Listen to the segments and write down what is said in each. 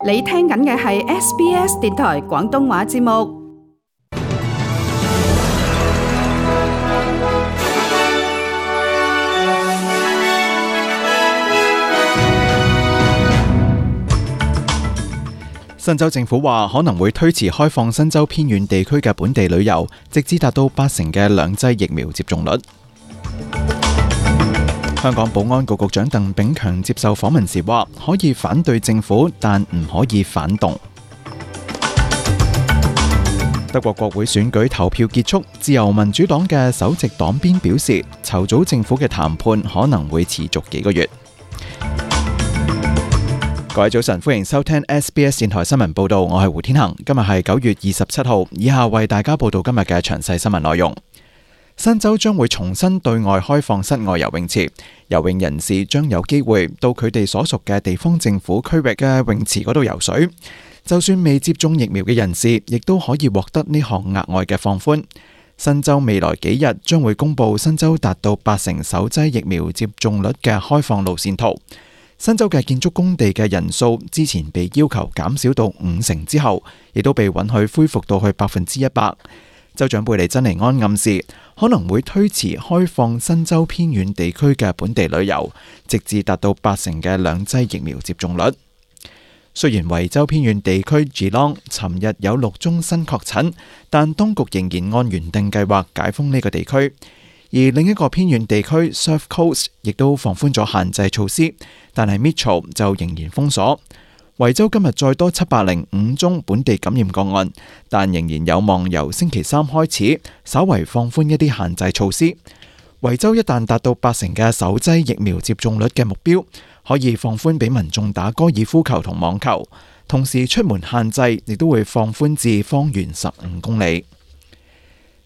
你聽緊嘅係 SBS 電台廣東話節目。新州政府話可能會推遲開放新州偏遠地區嘅本地旅遊，直至達到80%嘅兩劑疫苗接種率。香港保安局局長鄧炳強接受訪問時話，可以反對政府，但唔可以反動。德國國會選舉投票結束，自由民主黨嘅首席黨鞭表示，籌組政府嘅談判可能會持續幾個月。各位早晨，歡迎收聽 SBS 電台新聞報道，我係胡天恒。今日係9月27號，以下為大家報道今日嘅詳細新聞內容。新州將會重新對外開放室外游泳池，游泳人士將有機會到佢哋所屬嘅地方政府區域嘅泳池嗰度游水。就算未接種疫苗嘅人士，亦都可以獲得呢項額外嘅放寬。新州未來幾日將會公布新州達到80%首劑疫苗接種率嘅開放路線圖。新州嘅建築工地嘅人數之前被要求減少到50%之後，亦都被允許恢復到去100%。州長貝利珍尼安暗示可能會推遲開放新州偏遠地區嘅本地旅遊，直至達到80%嘅兩劑疫苗接種率。雖然維州偏遠地區 Geelong 尋日有6宗新確診，但當局仍然按原定計劃解封呢個地區。而另一個偏遠地區 Surf Coast 亦都放寬咗限制措施，但係 Mitchell 就仍然封鎖。維州今日再多705宗本地感染個案，但仍然有望由星期三開始稍為放寬一啲限制措施。維州一旦達到80%嘅首劑疫苗接種率嘅目標，可以放寬俾民眾打高爾夫球同網球，同時出門限制亦都會放寬至方圓15公里。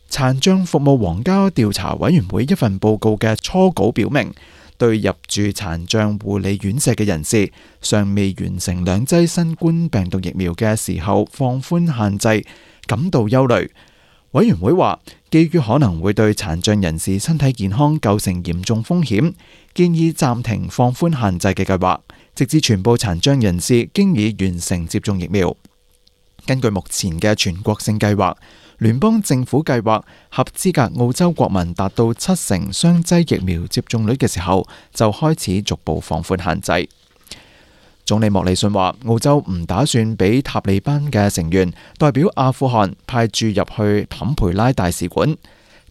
殘障服務皇家調查委員會一份報告嘅初稿表明，對入住殘障護理院舍嘅人士尚未完成2劑新冠病毒疫苗嘅時候放寬限制感到憂慮。委員會話，基於可能會對殘障人士身體健康構成嚴重風險，建議暫停放寬限制嘅計劃，直至全部殘障人士經已完成接種疫苗。根據目前嘅全國性計劃，聯邦政府計劃合資格澳洲國民達到70%雙劑疫苗接種率嘅時候，就開始逐步放寬限制。總理莫里遜話，澳洲唔打算俾塔利班嘅成員代表阿富汗派駐入去坎培拉大使館。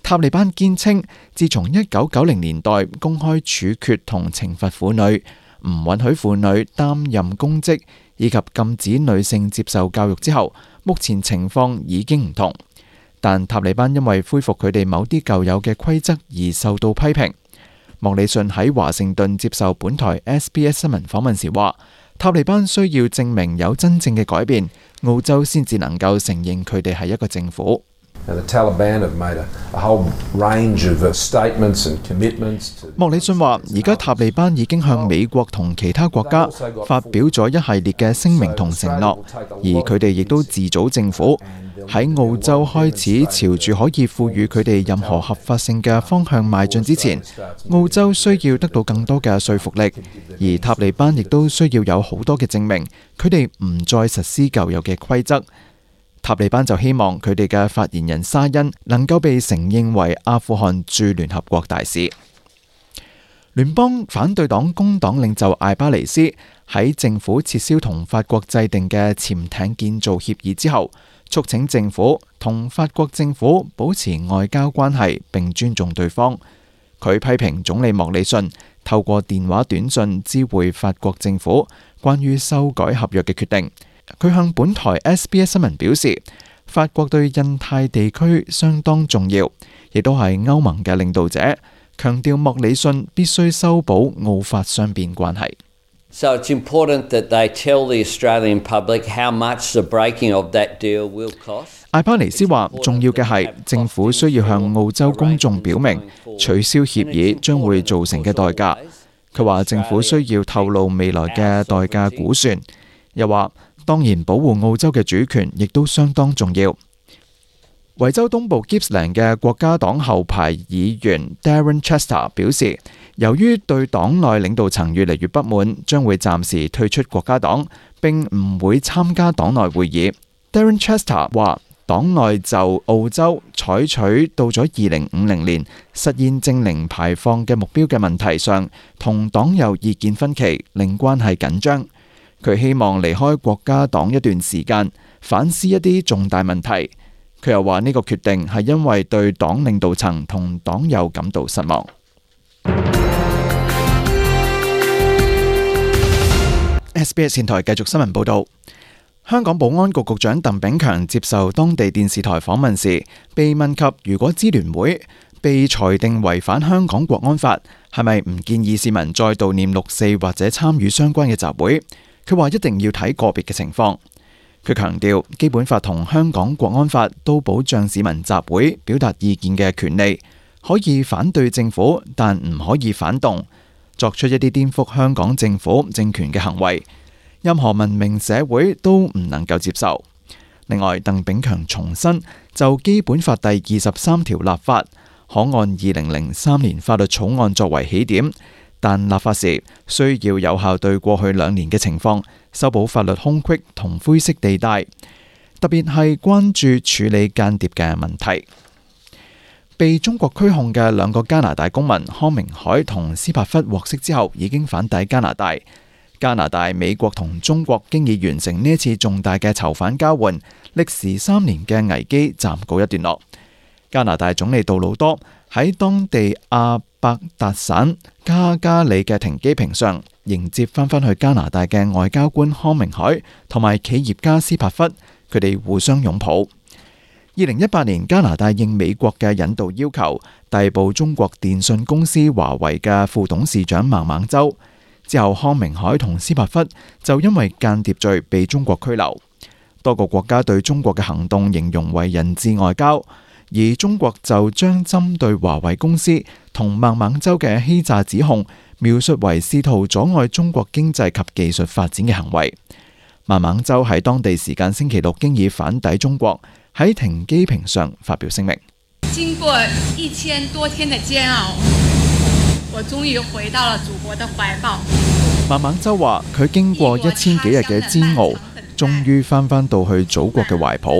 塔利班堅稱，自從1990年代公開處決同懲罰婦女，唔允許婦女擔任公職，以及禁止女性接受教育之後，目前情況已經唔同。但塔利班因為恢復佢哋某啲舊有嘅規則而受到批評。莫里遜喺華盛頓接受本台 SBS 新聞訪問時話，塔利班需要證明有真正嘅改變，澳洲先至能夠承認佢哋係一個政府。莫里遜話，而家塔利班已經向美國同其他國家發表咗一系列嘅聲明同承諾，而佢哋亦都自組政府，喺澳洲開始朝住可以賦予佢哋任何合法性嘅方向邁進之前，澳洲需要得到更多嘅說服力，而塔利班亦都需要有好多嘅證明，佢哋唔再實施舊有嘅規則。塔利班就希望佢哋嘅發言人沙欣能夠被承認為阿富汗駐聯合國大使。聯邦反對黨工黨領袖艾巴尼斯喺政府撤銷同法國制定嘅潛艇建造協議之後，促請政府同法國政府保持外交關係並尊重對方。佢批評總理莫里遜透過電話短信知會法國政府關於修改合約嘅決定。佢向本台 SBS 新聞表示，法國對印太地區相當重要，亦都係歐盟嘅領導者，強調莫里遜必須修補澳法雙邊關係。So it's important that they tell the Australian public how much the breaking of that deal will cost. 艾巴尼斯話，重要嘅係政府需要向澳洲公眾表明取消協議將會造成嘅代價。佢話政府需要透露未來嘅代價估算，又話當然保護澳洲嘅主權亦都相當重要。維州東部 Gippsland 嘅國家黨後排議員 Darren Chester 表示，由於對黨內領導層越嚟越不滿，將會暫時退出國家黨，並唔會參加黨內會議。Darren Chester 話：黨內就澳洲採取到咗2050年實現淨零排放嘅目標嘅問題上，同黨有意見分歧，令關係緊張。佢希望離開國家黨一段時間，反思一啲重大問題。佢又話呢個決定係因為對黨領導層同黨友感到失望。SBS 電台繼續新聞報導。香港保安局局長鄧炳強接受當地電視台訪問時，被問及如果支聯會被裁定違反香港國安法，係咪唔建議市民再悼念6·4或者參與相關嘅集會？佢話一定要睇個別嘅情況。佢強調，基本法同香港國安法都保障市民集會表達意見嘅權利，可以反對政府，但唔可以反動，作出一啲顛覆香港政府政權嘅行為。任何文明社會都唔能夠接受。另外，鄧炳強重申就基本法第23條立法，可按2003年法律草案作為起點，但立法時需要有效對過去2年嘅情況修補法律空隙同灰色地帶，特別係關注處理間諜嘅問題。被中國拘控嘅2個加拿大公民康明凱同斯帕弗獲釋之後，已經返抵加拿大。加拿大、美國同中國經已完成呢一次重大嘅囚犯交換，歷時3年嘅危機暫告一段落。加拿大總理杜魯多喺當地阿伯達省卡加里嘅停機坪上迎接翻返去加拿大嘅外交官康明凱同埋企業家斯帕弗，佢哋互相擁抱。2018年，加拿大應美國嘅引渡要求，逮捕中國電信公司華為嘅副董事長孟晚舟。之後，康明凱同斯帕弗就因為間諜罪被中國拘留。多個國家對中國嘅行動形容為人質外交，而中國就將針對華為公司同孟晚舟嘅欺詐指控描述為試圖阻礙中國經濟及技術發展嘅行為。孟晚舟喺當地時間星期六經已返抵中國，喺停機坪上發表聲明。經過1000多天的煎熬，我終於回到了祖國的懷抱。孟晚舟話：佢經過1000幾日嘅煎熬，終於翻到去祖國嘅懷抱。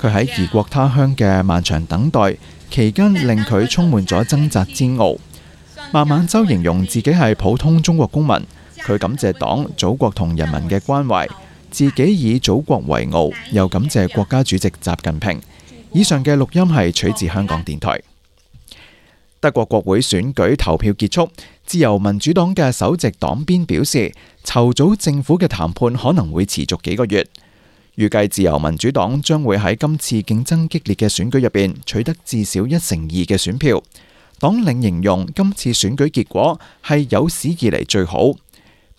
佢喺異國他鄉嘅漫長等待期間，令佢充滿咗掙扎煎熬。孟晚舟形容自己係普通中國公民，佢感謝黨、祖國同人民嘅關懷，自己以祖國為傲，又感謝國家主席習近平。以上嘅錄音係取自香港電台。德國國會選舉投票結束，自由民主黨嘅首席黨鞭表示，籌組政府嘅談判可能會持續幾個月。預計自由民主黨將會喺今次競爭激烈嘅選舉入邊取得至少1/2嘅選票。黨領形容今次選舉結果係有史以嚟最好。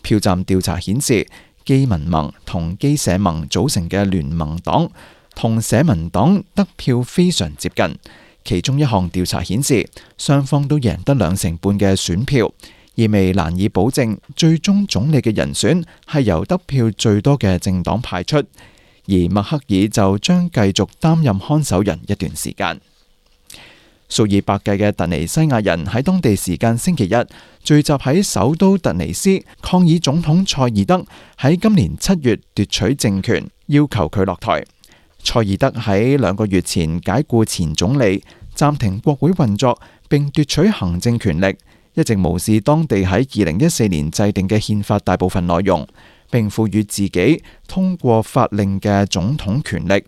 票站調查顯示，基民盟同基社盟組成嘅聯盟黨同社民黨得票非常接近。其中一項調查顯示，雙方都贏得2成半嘅選票，意味難以保證最終總理嘅人選係由得票最多嘅政黨派出，而默克爾就將繼續擔任看守人一段時間。數以百計嘅突尼西亞人喺當地時間星期日聚集喺首都突尼斯，抗議總統塞爾德喺今年7月奪取政權，要求佢落台。塞爾德喺2個月前解雇前總理，暫停國會運作，並奪取行政權力，一直無視當地喺2014年制定嘅憲法大部分內容，並賦予自己通過法令嘅總統權力。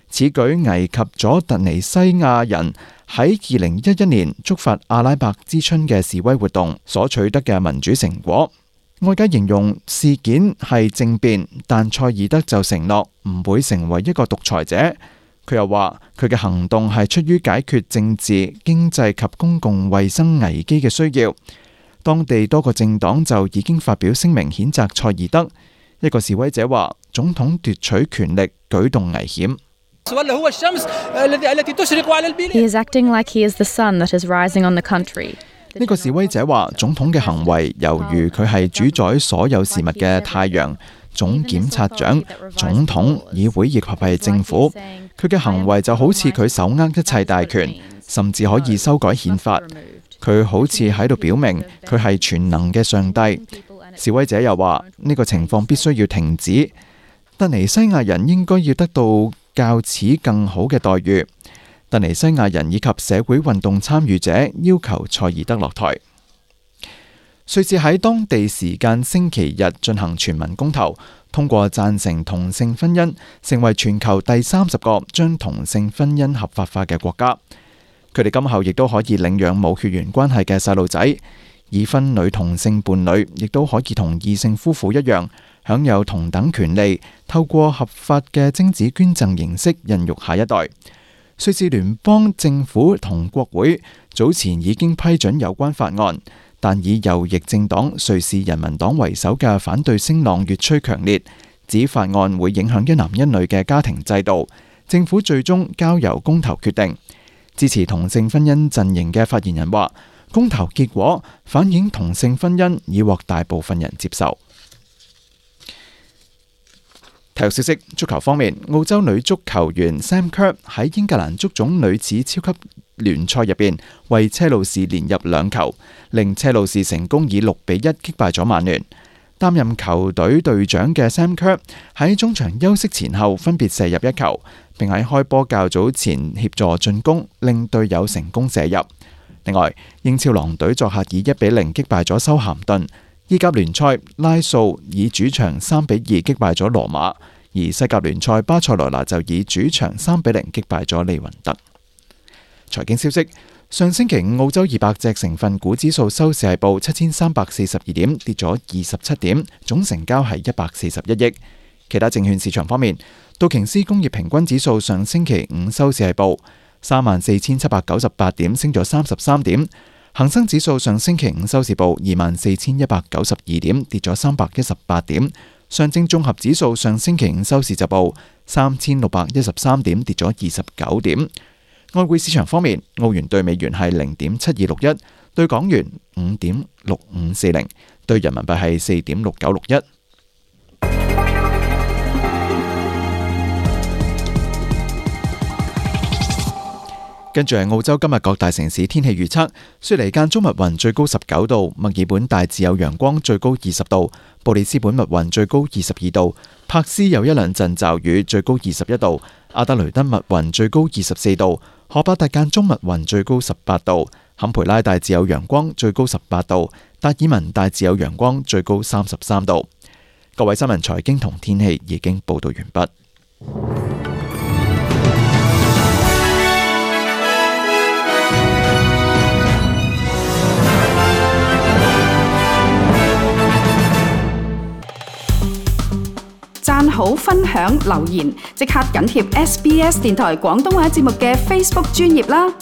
此舉危及咗突尼西亞人喺2011年觸發阿拉伯之春嘅示威活動所取得嘅民主成果。外界形容事件係政變，但塞爾德就承諾唔會成為一個獨裁者。佢又話佢嘅行動係出於解決政治、經濟及公共衛生危機嘅需要。當地多個政黨就已經發表聲明譴責塞爾德。一個示威者話：總統奪取權力舉動危險。He is acting like he is the sun that is rising on the country. 呢個示威者話：總統嘅行為猶如佢係主宰所有事物嘅太陽、總檢察長、總統、議會以及係政府。佢嘅行為就好似佢手握一切大權，甚至可以修改憲法。佢好似喺度表明佢係全能嘅上帝。示威者又話呢個情況必須要停止，突尼西亞人應該要得到較此更好嘅待遇。突尼西亞人以及社會運動參與者要求塞爾德落台。瑞士喺當地時間星期日進行全民公投，通過贊成同性婚姻，成為全球第30個將同性婚姻合法化嘅國家。佢哋今後亦都可以領養冇血緣關係嘅細路仔，已婚女同性伴侶亦都可以同異性夫婦一樣，享有同等權利，透過合法嘅精子捐贈形式孕育下一代。瑞士聯邦政府同國會早前已經批准有關法案，但以右翼政黨瑞士人民黨為首嘅反對聲浪越趨強烈，指法案會影響一男一女嘅家庭制度。政府最終交由公投決定。支持同性婚姻陣營嘅發言人話，公投結果反映同性婚姻已獲大部分人接受。體育消息，足球方面，澳洲女足球員 Sam Kerr 喺英格蘭足總女子超級聯賽入邊為車路士連入2球，令車路士成功以6-1擊敗咗曼聯。擔任球隊隊長嘅 Sam Kerr 喺中場休息前後分別射入1球，並喺開波較早前協助進攻，令隊友成功射入。另外，英超狼隊作客以1-0擊敗咗修咸頓。意甲聯賽，拉素以主場3-2擊敗咗羅馬，而西甲聯賽巴塞羅那就以主場3-0擊敗咗利雲特。財經消息，上星期五澳洲200隻成分股指數收市係報7342點，跌咗27點，總成交係141億。其他證券市場方面，道瓊斯工業平均指數上星期五收市係報34,798點，升咗33點。恒生指數上星期五收市報24,192點，跌咗318點。上證綜合指數上星期五收市就報3,613點，跌咗29點。外匯市場方面，澳元兌美元係0.7261，兌港元5.6540，兌人民幣係4.6961。跟住係澳洲今日各大城市天氣預測：雪梨間中密雲，最高19度；墨爾本大致有陽光，最高20度；布里斯本密雲，最高22度；柏斯有一兩陣驟雨，最高21度；阿德雷德密雲，最高24度；荷巴特間中密雲，最高18度；坎培拉大致有陽光，最高18度；達爾文大致有陽光，最高33度。各位新聞、財經同天氣已經報道完畢。讚好、分享、留言，即刻緊貼SBS 電台廣東話節目嘅 Facebook 專頁啦！